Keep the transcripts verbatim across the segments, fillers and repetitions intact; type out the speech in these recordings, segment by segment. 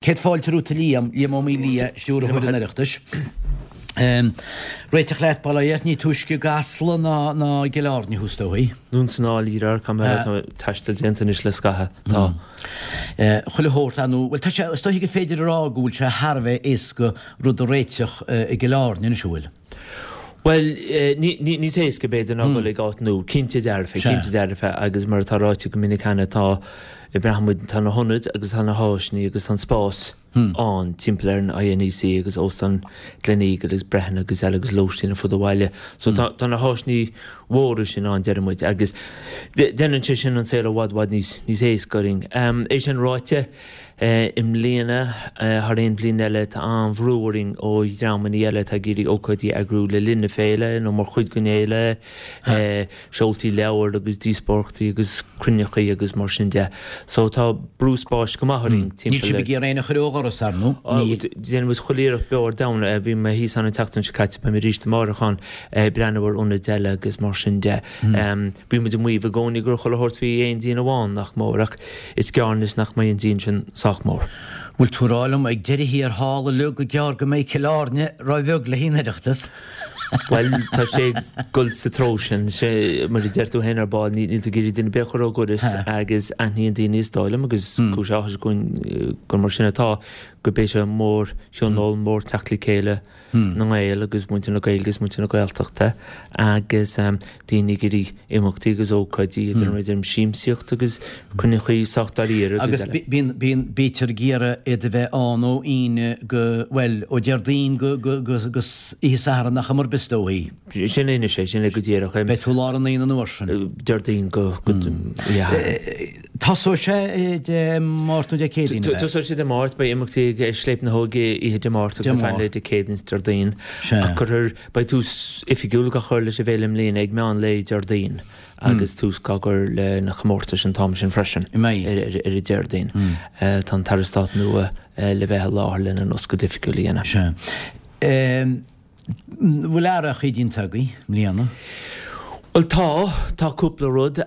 Céad fáilte romhat a Liam, Liam Ó Maolaodha, Stiúrthóir an Oireachtais. Réiteach leat, bail ó Dhia ort, ní túisce i gCasla ná ná i gCill Airne thú is dóigh. Dún san áiléar, cá mbeidh tá taisteal déanta anois le scaitheamh, tá. Chuile shórt ann, bhuel tá sé, is dóigh gur féidir a rá go bhfuil sé thar a bheith éasca rud a réiteach i gCill Airne anois, an bhfuil? Bhuel, níos éasca b'fhéidir ná dul ag áit nua, cinnte dearfa, cinnte dearfa agus mar atá ráite go minic cheana tá, braitheann muid, tá na hionaid agus tá na háiseanna agus tá an spás ann timpeall ar an INEC agus Óstán Gleneagle agus Brehon agus eile agus lóistín ar fud an bhaile. So tá, tá na háiseanna mhóra sin ann deireann muid agus déanann sé sin an saol i bhfad, bhfad níos, níos éasca orainn. É sin ráite, I mbliana, thar aon bhliain eile, tá an-bhrú orainn ó dhreamanna eile atá ag iarraidh ócáidí a eagrú le linn na féile nó mar chuid den fhéile, seoltaí leabhar agus díospóireachtaí agus cruinneachaí agus mar sin de. So tá brú spáis go maith orainn timpeall. Níl sibh ag iarraidh éinne a chur ó dhoras, ar ndóigh. Níl. Déanann muid chuile iarracht beo ar domhan. Bhí mé thíos ann an tseachtain seo caite, beidh mé arís amárach ann ag breathnú ar ionaid eile agus mar sin de. Bíonn muid ag maíomh i gcónaí go raibh chuile shórt faoi aon díon amháin, nach mór, ach is gearr anois nach mbeidh an díon sin sách mór. Bhfuil tú ag rá liom ag deireadh thiar thall uilig go gearr go mbeidh Cill Airne róbheag le haghaidh an Oireachtas? Bhuel, tá sé ag dul sa treo sin. Sé, mar a deir tú féin ar ball, níl tú ag iarraidh duine ar bith a chur ó dhoras agus aithníonn daoine is dóigh liom, agus cúis áthais dúinn gur mar sin atá, gurb é seo mórthionól, mórtheacht le chéile na nGael agus muintir na Gaeilge agus muintir na Gaeltachta agus daoine ag iarraidh imeachtaí agus ócáidí idir an idir siamsaíocht agus cruinneachaí sách dáiríre agus eile. Agus bíonn, bíonn, bítear ag iarraidh iad a bheith ann ó Aoine go, bhuel, ó Déardaoin go, go, go, go oíche Sathairn nach cuma ar bith is dóigh. Sin é anois é, sin é go díreach. Beidh tú lár an Aoine an uair sin. Déardaoin go, go, oíche Shathairn. Tosóidh sé Dé Máirt nó Dé Céadaoin, ab ea? Tosóidh sé Dé Máirt, beidh imeachtaí ag Scléip na hÓige oíche Dé Máirt agus ar feadh lae Dé Céadaoin is Déardaoin. Ach cuirfear, beidh tús oifigiúil á chur leis an bhféile i mbliana ag meán lae Déardaoin agus tús á gcur le na comórtais an t-am sin freisin ar an Déardaoin. Tá an tAire Stáit nua le bheith i láthair lena n-oscailt oifigiúil a dhéanamh. Sea. Bhfuil athrachaí déanta agaibh i mbliana? Bhuel tá, tá cúpla rud.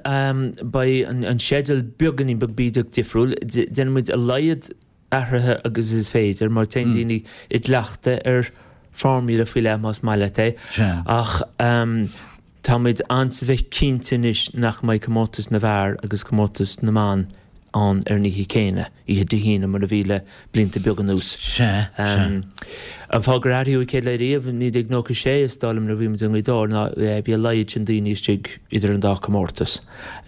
Beidh an sceideal beagáinín beag bídeach difriúil. Déanann muid a laghad athruithe agus is féidir mar téann daoine i gcleachtadh ar formula faoi leith más maith leat é. Ach tá muid ansa bheith cinnte anois nach mbeidh comórtas na bhfear agus comórtas na mban ann ar an oíche chéanna, oíche Dé hAoine, mar a bhí le blianta beaga anuas. Sea, sea. An fáth gur athraíodh an chéad lá riamh, i naoi déag nócha sé, is dóigh liom, nuair a bhí muid i nGaoth Dobhair, ná bhí a laghad sin daoine istigh idir an dá chomórtas,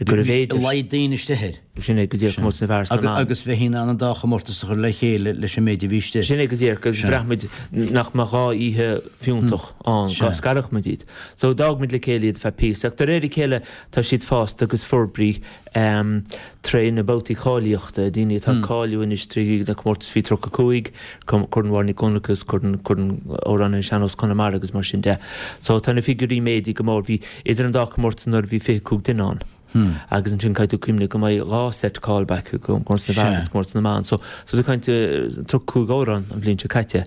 gurbh fhéidir. A laghad daoine istigh air. Sin é go díreach, comórtas na bhfear is na mban. Agus bheifí in ann an dá chomórtas a chur le chéile leis an méid a bhí istigh. Sin é go díreach, agus bhraith muid nach mbeadh dhá oíche fiúntach ann dá scarfadh muid iad. So d'fhág muid le chéile iad feadh píosa, ach de réir a chéile tá siad fásta agus forbraithe tré na babhtaí cáilíochta, daoine atá ag cáiliú anois trí na comórtais faoi tríocha cúig, Corn Mháire Nic Dhonncha agus Corn Corn Amhránaithe Sean-Nós Chonamara agus mar sin de. So tá na figiúirí méadaithe go mór. Bhí idir an dá chomórtas anuraidh bhí fiche cúig duine ann. Agus ansin caithfidh tú cuimhneamh go mbeidh dhá set callback, comórtas na bhfear agus comórtas na mban. So so tú ag caint tríocha cúig amhrán an bhliain seo caite.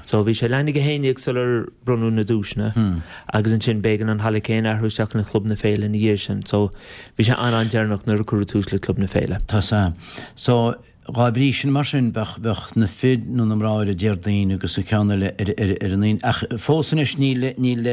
So bhí sé leath i ndiaidh a haon déag sular bronnadh na duaiseanna agus ansin b'éigean an halla céanna a athrú isteach ina Chlub na Féile ina dhiaidh sin. So bhí sé an-an-deireanach nuair a cuireadh tús le Club na Féile. Tá sea. So, dhá bhrí sin mar sin, bheadh, bheadh na fir nó na mná ar an Déardaoin agus an ceann eile ar, ar, ar an Aoine. Ach fós anois níl, níl,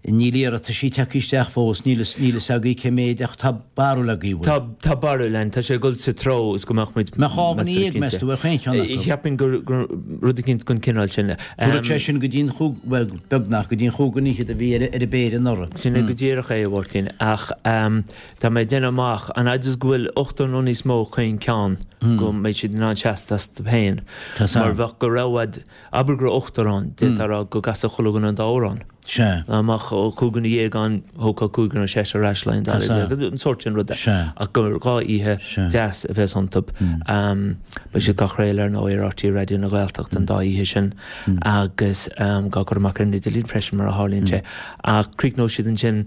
níl iarrataisí tagtha isteach fós, níl fhios, níl fhios agaibh cé méid ach tá barúil agaibh, bhfuil? Tá, tá barúil againn. Tá sé ag dul sa treo is go mbeadh muid Mbeadh dhá dhuine dhéag, meas tú, ar chaon cheann acu? Cheapfainn gur, gur rud eicínt den chineál sin. Thabharfadh sé sin go dtí an chúig, bhuel, beagnach go dtí an chúig dhuine fhichead a bhí ar, ar an bpéire anuraidh. Sin é go díreach é, a Mháirtín. Ach tá mé ag déanamh amach, an fhaid is go bhfuil ochtar nó níos mó chaon ceann, go mbeidh siad in ann seasamh astu féin. Mar bheadh go raibh, abair go raibh ochtar ann, d'fhéadfá a rá go gcasfadh chuile dhuine an dá amhrán. Sea. Dá mbeadh cúig dhuine dhéag ann, thógfá cúigear nó seisear ar ais le haghaidh an dara Tá oíche, an sórt sin ruda. Sea. Ach gur dhá oíche Sea. deas a bheas iontu. Beidh siad á gcraoladh ar ndóigh ar RTÉ Raidió na Gaeltachta an dá oíche sin agus á gcur amach ar an idirlíon freisin mar a tharlaíonn sé. Ach críochnóidh siad ansin,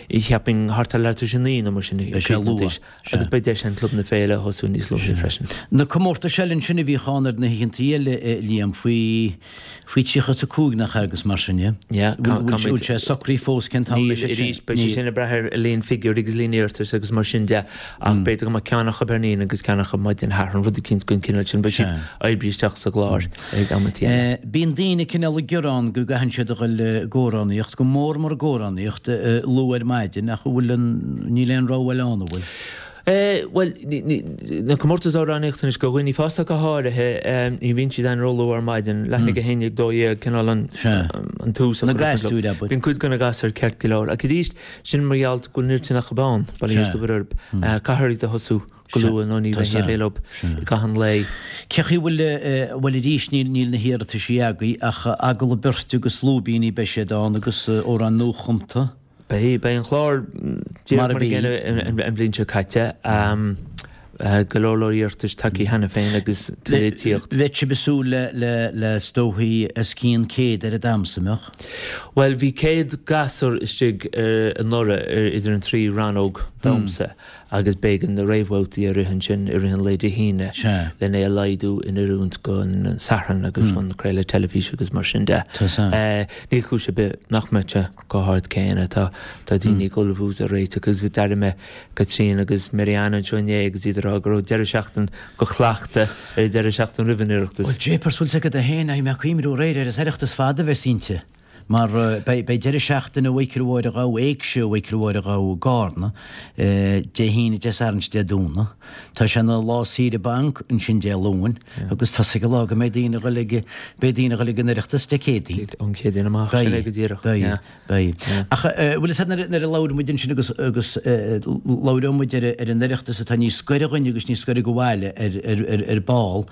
cheapfainn, thart ar leathuair tar éis a naoi nó mar sin. Beidh sé luath. Sea. Agus beidh deis ann Club na Féile a thosú níos luaithe freisin. Na comórtais eile ansin a bhíodh ann ar na hoícheantaí eile, a Liam, faoi, faoi tríocha is a cúig nach ea agus mar sin de? Yeah. Bhfuil Bhfuil sé socraithe fós cén t-am Níl arís, beidh sé sin ag brath ar líon figiúirí agus líon iarratas agus mar sin de, ach b'fhéidir go mbeadh ceann acu ar an Aoine agus ceann acu maidin Shathairn, rud eicínt den chineál sin, beidh siad oibrithe isteach sa gclár ag amantaí eile. Bíonn daoine cineál ag gearán go gcaitheann siad a dhul ag amhránaíocht, go mór mór ag amhránaíocht, luath ar maidin, ach an bhfuil an, níl aon rogha eile ann, an bhfuil? Bhuel, na comórtais amhránaíochta anois, do dhaoine fásta go háirithe, ní bhíonn siad ann róluath ar maidin, leath i ndiaidh a haon déag, dó dhéag, cineál an tús a chur. Na gasúir, abair. Bíonn cuid de na gasúir ceart go leor. Ach arís, sin mar gheall go bhfuil an oiread sin acu ann, bail ó Dhia is obair orthu. Caithfear iad a thosú go luath nó ní bheidh réidh leo i gcaitheamh an lae. Cé chaoi bhfuil, bhuel arís níl, níl na hiarrataisí agaibh ach agallamh beirte agus lúibíní beidh siad ann agus amhráin nuachumta. Beidh, beidh an clár díreach Mar a mar a bhí. gcéanna an bhliain seo caite. Go leor leor iarratais tagtha cheana féin agus tuilleadh ag tíocht. Bheadh sibh ag súil le, le, le is dóichí os cionn céad ar an damhsa, an mbeadh? Bhuel, bhí céad gasúr istigh anuraidh idir an trí rannóg damhsa agus b'éigean na réamhbhabhtaí a rith ansin i rith an lae Dé hAoine Sea. len é a laghdú in oiriúint don Satharn agus don chraoladh teilifíse agus mar sin de. Tá san. Níl cúis ar bith nach mbeadh sé chomh hard céanna. Tá tá daoine ag ullmhú is ag réiteach agus bhí d'airigh mé Caitríona agus Marianne anseo inné agus iad ag rá go raibh deireadh seachtain go chleachtadh ar an deireadh seachtain roimh an Oireachtas. Bhuel, jeepers, bhfuil 's agat féin, bhí mé ag cuimhniú aréir ar an Oireachtas fada a bheas inti, mar beidh beidh deireadh seachtaine Mhichíl Mháire Ghabha, Éigse Mhichíl Mháire Ghabha i gCarna, Dé hAoine, Dé Sathairn is Dé Domhnaigh. Tá sé ina lá saoire banc ansin Dé Luain agus tá 's ag an lá go mbeidh daoine ag dul ag, beidh daoine ag dul ag an Oireachtas Dé Céadaoin. Ón Chéadaoin amach, sin é go díreach. Beidh, beidh. Ach bhfuil 'fhios a'd nuair a labhair muid ansin agus, agus labhróidh muid ar ar an Oireachtas atá níos gaire dhuinn agus níos gaire go bhaile ar, ar, ar, ar ball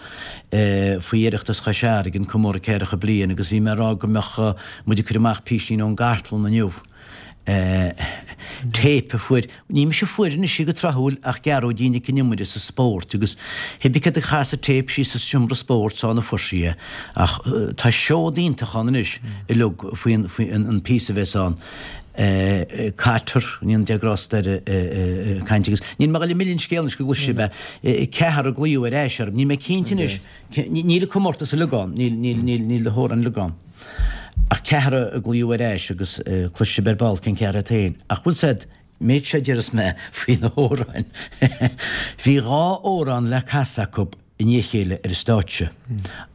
faoi Oireachtas Chois Fharraige, an comóradh ceathracha bliain agus bhí mé ag rá go mbeadh muid ag cur amach písín ón gcartlann inniu. Téip a fuair, ní mise a fuair anois í go tráthúil ach Gearóidín Nic an Iomaire sa spórt agus cibé céard a chas an téip síos sa seomra spóirt ann a fuair sí é ach tá seod iontach ann anois uilig faoi an, faoi an píosa a bheas ann. Cotter, go ndéana Dia grásta air, ag caint agus níl mé ag dul ag milleadh an scéil anois go gcloisfidh sibh é. Ceathrar ag glaoch ar ais orm, níl mé cinnte anois, níl an comórtas uilig ann, níl, níl, níl, níl na hamhráin uilig ann. Ach ceathrar ag glaoch ar ais agus cloisfidh sibh ar ball cén ceathrar iad féin. Ach bhfuil 's a'd, méid seo a déarfas mé faoi na hamhráin. Bhí dhá amhrán le casadh acu i ndiaidh a chéile ar an stáitse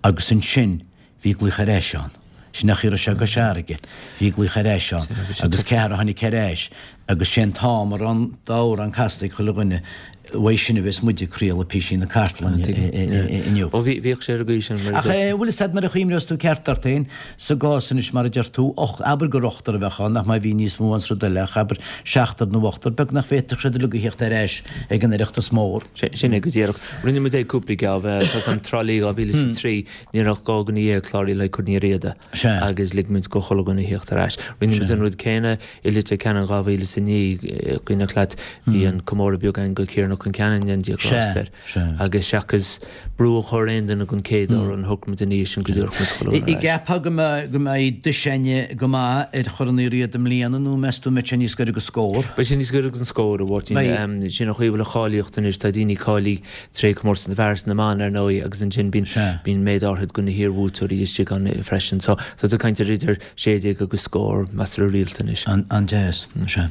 agus ansin bhí glaoch ar ais ann. Sin nach raibh sé i gCois Fharraige. Bhí glaoch ar ais ann agus ceathrar a tháinig ar ais agus sé an t-am a raibh an dá amhrán casta ag chuile dhuine uaidh sin a bheas muid ag craoladh písín na cartlainne inniu. Ó bhí, bhíodh sé ar an gcaoi sin mar a Ach deir. bhfuil 'fhios a'd mar a chuimhneos tú ceart ort féin, sa gcás anois mar a deir tú, och, abair gur ochtar a bheadh ann, nach má bhí níos mó ann sa rud eile, ach abair seachtar nó ochtar, beag nach bhféadfadh siad uilig a theacht ar ais ag an Oireachtas mór. Sin é go díreach. Rinne muid é cúpla geábh, tá 's a'm Trá Lí dhá mhíle is a trí, ní raibh ach dhá dhuine dhéag cláraithe le Corn Uí Riada Sea. agus lig muid go chuile dhuine a theacht ar ais. Rinne muid an rud céanna i Leitir Ceanainn dhá mhíle is a naoi, cuimhneach leat, bhí an comóradh beag againn go Ciarán Ó Concheanainn, go ndéana Dia grásta air. Agus seachas brú a chur ar aon duine don chéad amhrán, shocraigh muid ina dhiaidh sin go dtabharfadh muid chuile dhuine ar ais. An gceapfá go mbeidh dosaen go maith ar Chorn Uí Riada i mbliana nó meas tú an mbeidh sé níos gaire go scór? Beidh sé níos gaire don scór, a Mháirtín. Sin an chaoi a bhfuil an cháilíocht anois, tá daoine cáilithe tré comórtas na bhfear is na mban, ar ndóigh, agus ansin bíonn bíonn méid áirithe de na hiarbhuaiteoirí istigh ann freisin. So tá tú ag caint ar idir sé déag agus scór, measartha rialta anois. An-deas. Sea.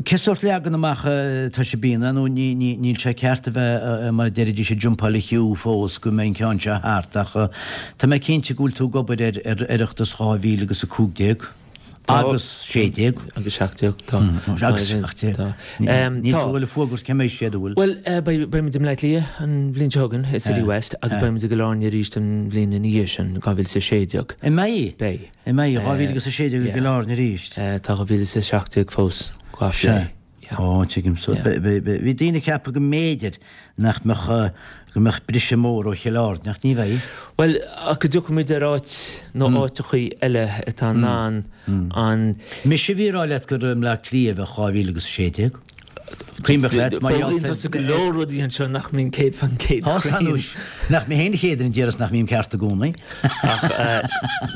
Cé sórt leagan amach atá sibh a dhéanamh nó ní, ní, níl sé ceart a bheith, mar a deiridís, ag jumpáil an chiú fós go mbeidh an ceann seo thart ach tá mé cinnte go bhfuil tú ag obair ar, ar Oireachtas dhá mhíle agus a cúig déag agus sé déag. Agus seacht déag, tá. Agus seacht déag. Tá. Níl tú ag dul ag fuagairt cá mbeidh siad, an bhfuil? Bhuel, beidh, beidh muid i mBleá Cliath an bhliain seo chugainn, i City West, agus beidh muid i gCill Airne arís an bhliain ina dhiaidh sin, dhá mhíle is a sé déag. An mbeidh? Beidh. An mbeidh, dhá mhíle agus a sé déag i gCill Airne arís? Tá dhá mhíle is a seacht déag fós dhá phlé. Sea. Ó, tuigim. So, bhí daoine ag ceapadh go mb'fhéidir nach mbeadh, go mbeadh briseadh mór ó Chill Airne, ach ní bheidh. Bhuel, ach go dtiocfaidh muid ar áit nó áiteachaí eile atá in ann an. Mise a bhí ag rá leat gur i mBleá Cliath a bheadh dhá mhíle agus a sé déag. Cuimhneach leat, mar gheall Foghlaíonn tusa go leor rudaí anseo nach mbíonn céad faoin gcéad Tá cruinn. anois, nach mé féin an chéad duine a déarfas nach mbím ceart i gcónaí. Ach,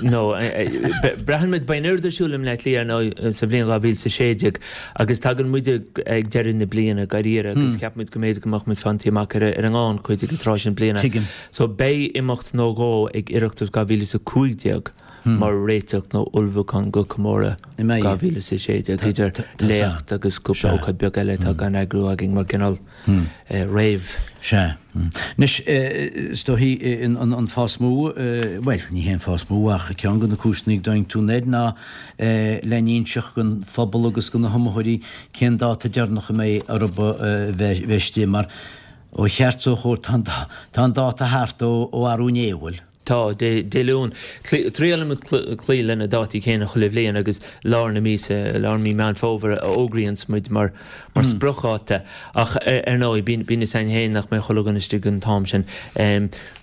no, braitheann muid, beidh an oiread ar siúl i mBleá Cliath, ar ndóigh, sa bhliain dhá mhíle is a sé déag agus tagann muid ag deireadh na bliana, dáiríre, agus ceapann muid go mb'fhéidir go mbeadh muid fanta amach ar an ngannchuid ag an tráth sin bliana. Tuigim. So beidh imeacht nó dhó ag Oireachtas dhá mhíle is a cúig déag. mar réiteach nó ullmhúchán go comóradh dhá mhíle is a sé déag, idir léacht agus cúpla ócáid beag eile atá gan eagrú againn mar cineál réamh. Sea. Anois, is dóichí an fáth is mó, bhuel, ní hé an fáth is mó ach ceann de na cúiseanna go dtáinig tú anoir ná le n-inseacht don phobal agus do na hiomaitheoirí cén dáta deireanach a mbeidh orthu bheith istigh mar ó cheart is ó chóir tá an dáta thart ó arú inné, bhfuil? Tá, Dé Luain. Triaileann muid cloí le na dátaí céanna chuile bhliain agus lár na míosa, lár mí Meán Fómhair a fhógraíonns muid mar spriocdháta. Ach ar ndóigh, bíonn fhios againn féin nach mbeidh chuile dhuine istigh an t-am sin.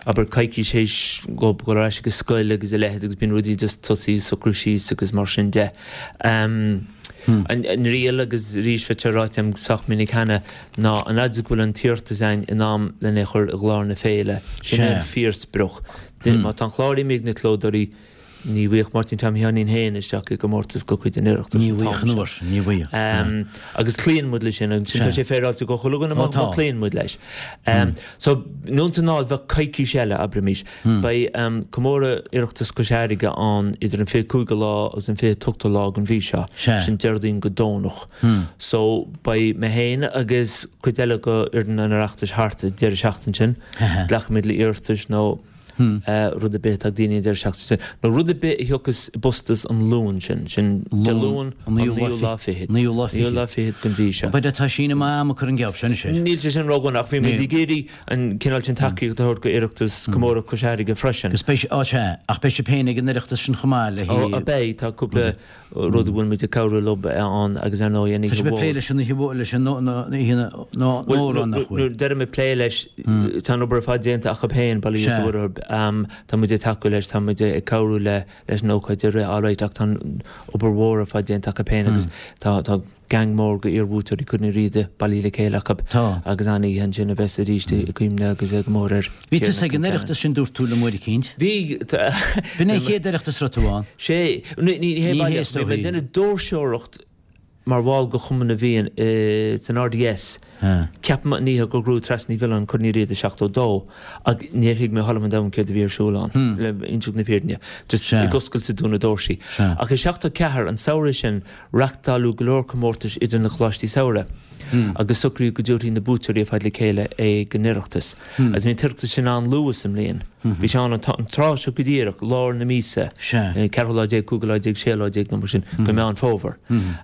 Abair coicís théis dhóibh dul ar ais ag an scoil agus a leithéid agus bíonn rudaí just tosaí ag socrú síos agus mar sin de. An riail, agus arís bheadh sé ráite agam sách minic cheana, ná an fhad is go bhfuil an t-iarratas againn in am lena chur i gclár na féile, sin é an fíorsprioc. Má tá an clár imithe ag na clódóirí, ní bhfaigheadh Máirtín Tom Sheáinín féin isteach i gcomórtas de chuid an Oireachtais Ní bhfaigheadh an uair sin, ní bhfaigheadh. Agus cloíonn muid leis sin, ansin tá sé féaráilte go chuile dhuine má chloíonn muid leis. So, anonn is anall bheadh coicís eile, abraimis. Beidh comóradh Oireachtas Chois Fharraige ann idir an fiche cúigiú lá agus an fiche ochtú lá den mhí seo, sin Déardaoin go Domhnach. So beidh mé féin agus cuid eile de fhoireann an Oireachtais thart an deireadh seachtaine sin. Glacfaimid le iarratais nó rud ar bith atá ag daoine an deireadh seachtaine sin, nó rud ar bith a thiocfas i bpostas an Luan sin, sin Dé Luain an naoú lá fichead. Naoú lá fichead. Naoú lá fichead den mhí seo. B'fhéidir tá síneadh maith ama curtha an geábh sin anois air. Níl sé sin ródhona ach bhí muid ag iarraidh an cineál sin tacaíocht a thabhairt go Oireachtas Comóradh Cois Fharraige freisin. Agus beidh, á sea, ach beidh sibh féin ag an Oireachtas sin chomh maith le hí. Ó, beidh, tá cúpla rud a bhfuil muid ag cabhrú leo ann agus ar ndóigh an oíche mhór. Tá sibh ag plé leis an oíche mhór, leis an oíche mhór nach bhfuil? Nuair a deirim ag plé leis, tá an obair ar fad déanta acu féin, bail ó Dhia is a Mhuire orthu. Tá muid ag tacú leis, tá muid ag cabhrú leis an ócáid a rith alright ach tá an obair mhór ar fad déanta acu féin agus tá, tá, gang mór de iar-bhuaiteoirí Chorn Uí Riada bailithe le chéile acu agus an-oíche ansin a bheas arís i gcuimhne agus i gcomóradh ar Bhí tusa ag an Oireachtas sin dúirt tú liom uair eicínt. Bhí. B'in é an chéad Oireachtas a raibh tú ann. Sé, ní hé baile, bhí mé ag déanamh doirseoireacht mar bhall de Chumann na bhFiann san RDS. Ceapaim an oíche gur ghnóthaigh Treasa Ní Mhiolláin Corn Uí Riada i seachtó dó ach níor thuig mé a thuilleadh an domhan céard a bhí ar siúl ann, le inseacht na fírinne. Just ag oscailt is ag dúnadh doirsí. Ach i seachtó ceathair, an samhradh sin, Reachtáladh go leor comórtais idir na coláistí samhraidh agus socraíodh go dtabharfaí na buaiteoirí ar fad le chéile ag an Oireachtas. Agus bhí an tOireachtas sin an-luath sa mbliain. Bhí sé ann an tráth seo go díreach, lár na míosa, ceathrú lá déag, cúigiú lá déag, séú lá déag nó mar sin de Mheán Fómhair.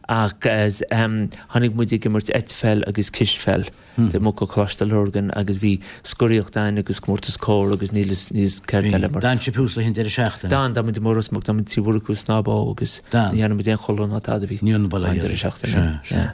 Agus tháinig muid ag imirt eitpheil agus cispheil. Amuigh go Coláiste Lurgan agus bhí scoraíocht ann agus comórtas cór agus níl fhios níl fhios céard eile mar. D'fhan sibh thuas le an deireadh seachtaine? D'fhan, d'fhan muid amuigh i Ros Muc, d'fhan muid Tigh Mhurchú ag snámh agus ní dhearna muid aon chodladh ná tada bhí Ní an baile an deireadh seachtaine. Sea, sea.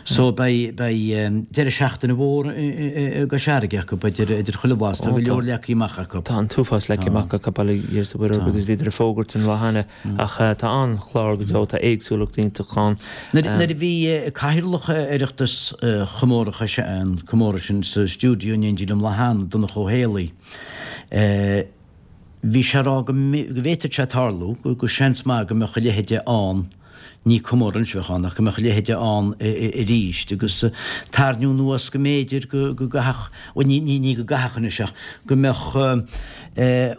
So beidh, beidh deireadh seachtaine mhór i gCois Fharraige acu, idir, idir chuile bhlas, tá go leor leagtha amach acu. Tá an t-uafás leagtha amach acu, bail ó Dhia is a Mhuire orthu agus bhíodar ag fógairt an lá cheana Ach tá an-chlár go deo, tá éagsúlacht iontach ann. Nuair a bhí Cathaoirleach Oireachtas Chomóradh Chois, an comóradh sin sa stiúideo in éindí liom lá cheana, Donncha Ó Héalaí, bhí sé ag rá go bhféadfadh sé tarlú, go seans maith go mbeadh a leithéide ann, ní comóradh anois a bheadh ann, ach go mbeadh a leithéide ann arís agus tarraingiú anuas go mb'fhéidir go gcaithfeadh, bhuel ní ní go gcaithfeadh anois ach go mbeadh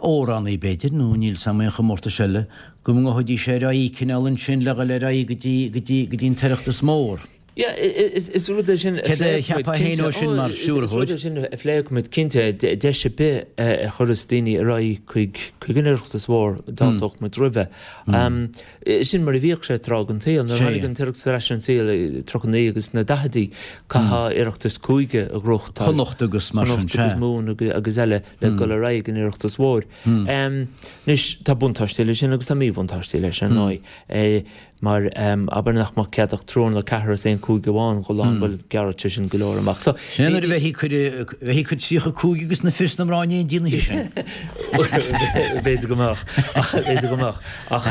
amhránaí b'fhéidir nó níl 's a'm aon chomórtais eile, go ngabhfaidís ar aghaidh cineál ansin le dhul ar aghaidh go dtí go dtí go dtí an tOireachtas mór. Yeah, is rud é sin a Céard a phléifidh muid, cheapfá féin cinnte. ó sin mar Is rud stiúrthóir? é sin a phléifidh muid, cinnte. Deis ar bith a chuireas daoine ar aghaidh chuig chuig an Oireachtas mhór, d'fháilteodh muid roimhe. Sin mar a bhíodh sé tráth den tsaol. Nuair a tháinig an tOireachtas ar ais ar an saol i tríocha naoi agus sna daicheadaí, chaithfeá Oireachtas cúige a ghnóthachtáil. Chonnacht agus mar sin, Chonnacht agus sea. Mumhan agus eile le dul ar aghaidh ag an Oireachtas mhór. Anois, tá buntáistí leis sin agus tá míbhuntáistí leis, ar ndóigh. Mar, abair nach mbeadh cead ach triúr nó ceathrar as aon chúige amháin dhul ann, bhuel, ghearrfadh sé sin go leor amach. So, Sin é nuair a bheifí ag cur, bheifí ag cur tríocha cúig agus na fir is na mná in éindí an oíche sin. B'fhéidir go mbeadh, b'fhéidir go mbeadh. Ach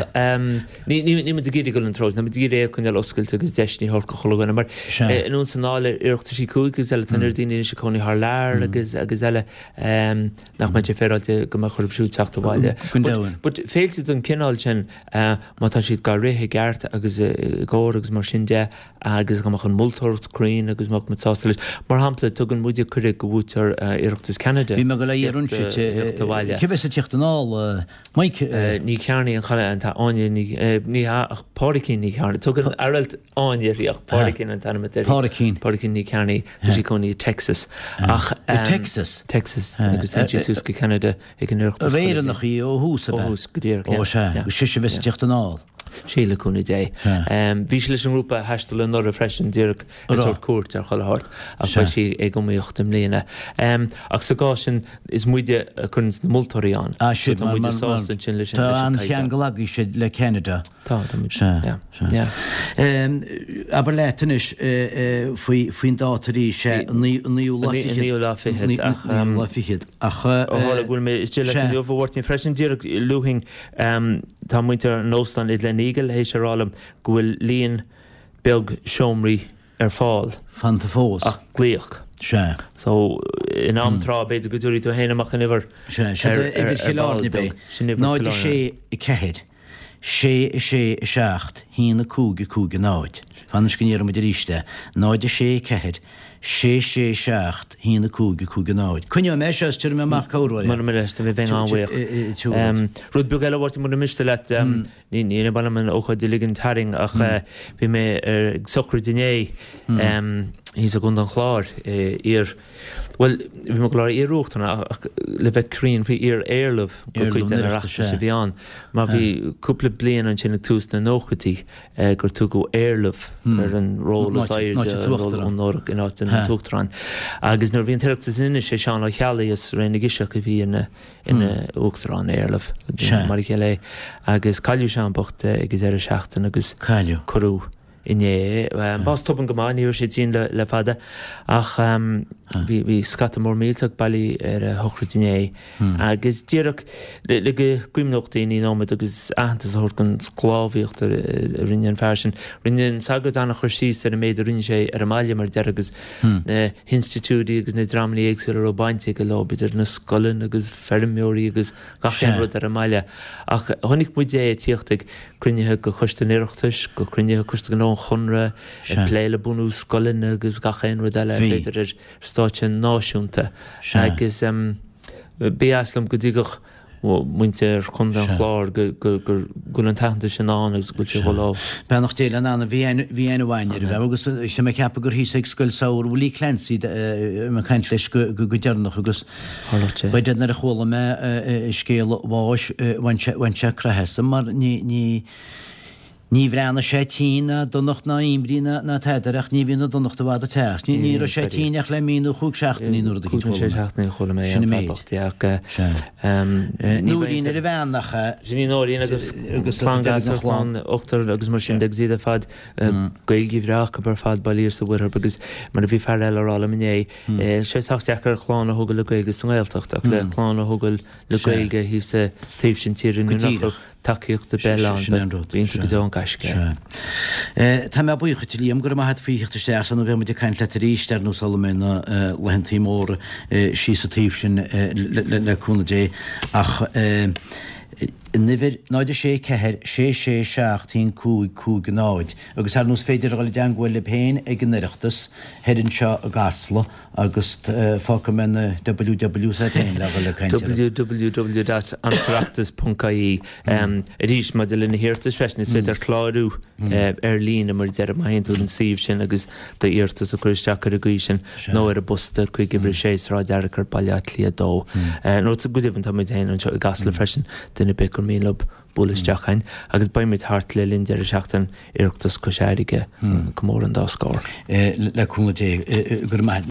ní, ní, níl muid ag iarraidh dul an treo sin, tá muid ag iarraidh é a choinneáil oscailte agus deis a thabhairt do chuile dhuine. Mar, anonn is anall ar Oireachtaisí cúige agus eile, tá an oiread daoine anois ag cónaí thar lear agus, agus eile, nach mbeadh sé féaráilte go mbeadh orthu siúd teacht abhaile. Go deimhin. But, but féilte den chineál sin, Má tá siad dhá rith i gceart agus i gcóir agus mar sin de agus go mbeadh an mholtóireacht cruinn agus mbeadh muid sásta leis. Mar shampla, tugann muide cuireadh go bhuaiteoir Oireachtas Ceanada Bhí mé ag dul a iarraidh theacht abhaile. Cibé bheas ag tíocht anall, Mike? Ní Chearnaigh an chaile an Áine ní ní hea ach Pádraicín Ní Chearnaigh. Tugann Aralt Áine uirthi ach Pádraicín an t-ainm atá uirthi. Pádraicín. Pádraicín Ní Chearnaigh, tá sí ag cónaí i Texas. Ach I Texas? Texas agus téann sí suas go Ceanada ag an Oireachtas Ar Éireannach í ó thús ab ea? Ó thús go díreach, yeah. Ó sea, agus sise a bheas ag tíocht anall. Sea, le cúnamh Dé. Bhí sí leis an ngrúpa a thaistil anuraidh freisin, díreach ag tabhairt cuairt ar chuile shórt, ach beidh sí ag iomaíocht i mbliana. Ach sa gcás sin, is muide a chuireanns na moltóirí ann. Ah, sin, So tá muide sásta ansin leis an Tá caighdeán. an-cheangal agaibhse le Ceanada. Tá, tá muid. Sea, Yeah, sea. yeah. Abair leat anois faoi, faoin dáta arís, sé, an naoú lá An fichead. naoú lá fichead, ach. Naoú lá fichead, ach. Ó tharla go bhfuil mé istigh leat inniu, a Mháirtín, freisin, díreach luafainn, Tá muintir an óstáin i Gleneagle théis a rá liom go bhfuil líon beag seomraí ar fáil. Fanta fós. Ach glaoch. Sea. So, in am tráth, b'fhéidir go dtabharfaidh tú féin amach an uimhir Sea, sin ar uimhir Chill ball Airne, beag. b'é. Sin uimhir Náid Chill a Airne. sé, a ceathair, sé, a sé, a seacht, haon, a cúig, a cúig, a náid. Fan anois go ndéarfaidh muid arís é. Náid a sé, a ceathair, sé, sé, seacht, haon, a cúig, a cúig, a náid. Coinneoidh mé é seo is tabharfaidh mé amach cabhróir é. Mura miste, bheinn an-bhuíoch. Rud beag eile, a Mháirtín, mura miste leat, ní ní maith liom an ócáid a ligean tharainn ach bhí mé ag sochraid inné thíos i gContae an Chláir, iar, bhuel, bhí mé ag dul a rá iar-uachtarán ach le bheith cruinn bhí iar-éarlamh go cuid den Oireachtas a bhí ann mar bhí cúpla bliain ansin ag tús na nóchaidí gur tugadh éarlamh ar an ról is airde onórach in áit an t-uachtarán. Agus nuair a bhí an tOireachtas in Inis, é Seán Ó Ceallaigh as Ré na gCiseach a bhí ina ina uachtarán éarlamh, mar a chéile é. Agus cailleadh Seán bocht ag an deireadh seachtaine agus cuireadh inné é. Bás tobann go maith, ní raibh sé tinn le fada ach bhí bhí scata mór millteach bailithe ar a shochraid inné agus díreach le go gcuimhneodh daoine nóiméad agus aitheantas a thabhairt don sclábhaíocht a rinne an fear sin. Rinne an sagart an-chur síos ar an méid a rinne sé ar an mbaile mar a déarfá agus na hinstitiúidí agus na dreamanna éagsúla a raibh baint aige leo, idir na scoileanna agus feirmeoirí agus gach aon rud ar an mbaile. Ach chonaic muid é ag tíocht ag cruinnithe de Choiste an Oireachtais, go cruinnithe Coiste Gnó an Chonradh, ag plé le bunú scoileanna agus gach aon rud eile, b'fhéidir ar stáitse náisiúnta. Agus ba dheas liom go dtuigfeadh muintir Chontae an Chláir go bhfuil an t-aitheantas sin ann agus go bhfuil sé chomh láidir. Beannacht Dé lena anam, bhí aithne mhaith air, agus tá mé ag ceapadh gur thíos ag Scoil Samhraidh Willie Clancy a mé ag caint leis go deireanach agus b'fhéidir nuair a chuala mé scéal a bháis bhain sé craitheadh asam mar ní ní Ní bhreathnaigh sé tinn ná donacht ná imní ná tada air ach ní bhíonn an donacht i bhfad ag teacht. Ní raibh sé tinn ach le mí nó chúig seachtainí nó rud eicínt chuala Cúig nó sé mé. seachtainí a chuala mé Sin an an fear méid. bocht, yeah, ach eh, ní Nóirín bheinn ar a bhean nach ea? Sin í Nóirín agus Agus clann deireadh gasúr, an chlann. clann ochtar agus mar sin de agus iad ar fad eh, Gaeilge bhreá acu ar fad bailithe sa Mhuirthead agus mar a bhí fear eile a rá liom inné, eh, sé sách deacair clann a thógáil le Gaeilge sa nGaeltacht ach le clann a thógáil le Sea. Gaeilge thíos sa taobh sin tíre Go nuair nach díreach. raibh Tacaíocht ar bith ann, Sin é an rud. b'iontach go deo an gaisce é. Sea. Tá mé buíoch dhuit, a Liam, go raibh maith agat faoi theacht isteach ann beidh muid ag caint leat arís ar nós sula mbeidh na laethantaí móra síos sa taobh sin le cúnamh Dé ach an uimhir náid a sé ceathair sé sé seacht haon cúig cúig náid agus ar nós féidir a dhul i dteangmháil libh féin ag an Oireachtas thoir anseo i gCasla Agus fágfaidh mé na ww's agat féin le dhul ag caint orthu. www dot antoireachtas ponc ie Arís, maidir le na hiarratais freisin, is féidir clárú ar líne mar a deirim, má théann tú ar an suíomh sin agus d'iarratas a chur isteach ar an gcaoi sin nó ar an bpost chuig uimhir a sé, Sráid Fhearchair, Baile Átha Cliath a dó. Nó go deimhin tá muid féin anseo i gCasla freisin, duine ar bith gur mian leo bualadh isteach chugainn agus beidh muid thart le linn deireadh seachtaine Oireachtas Chois Fharraige, comóradh an dá scór. Le cúnamh Dé, go raibh maith.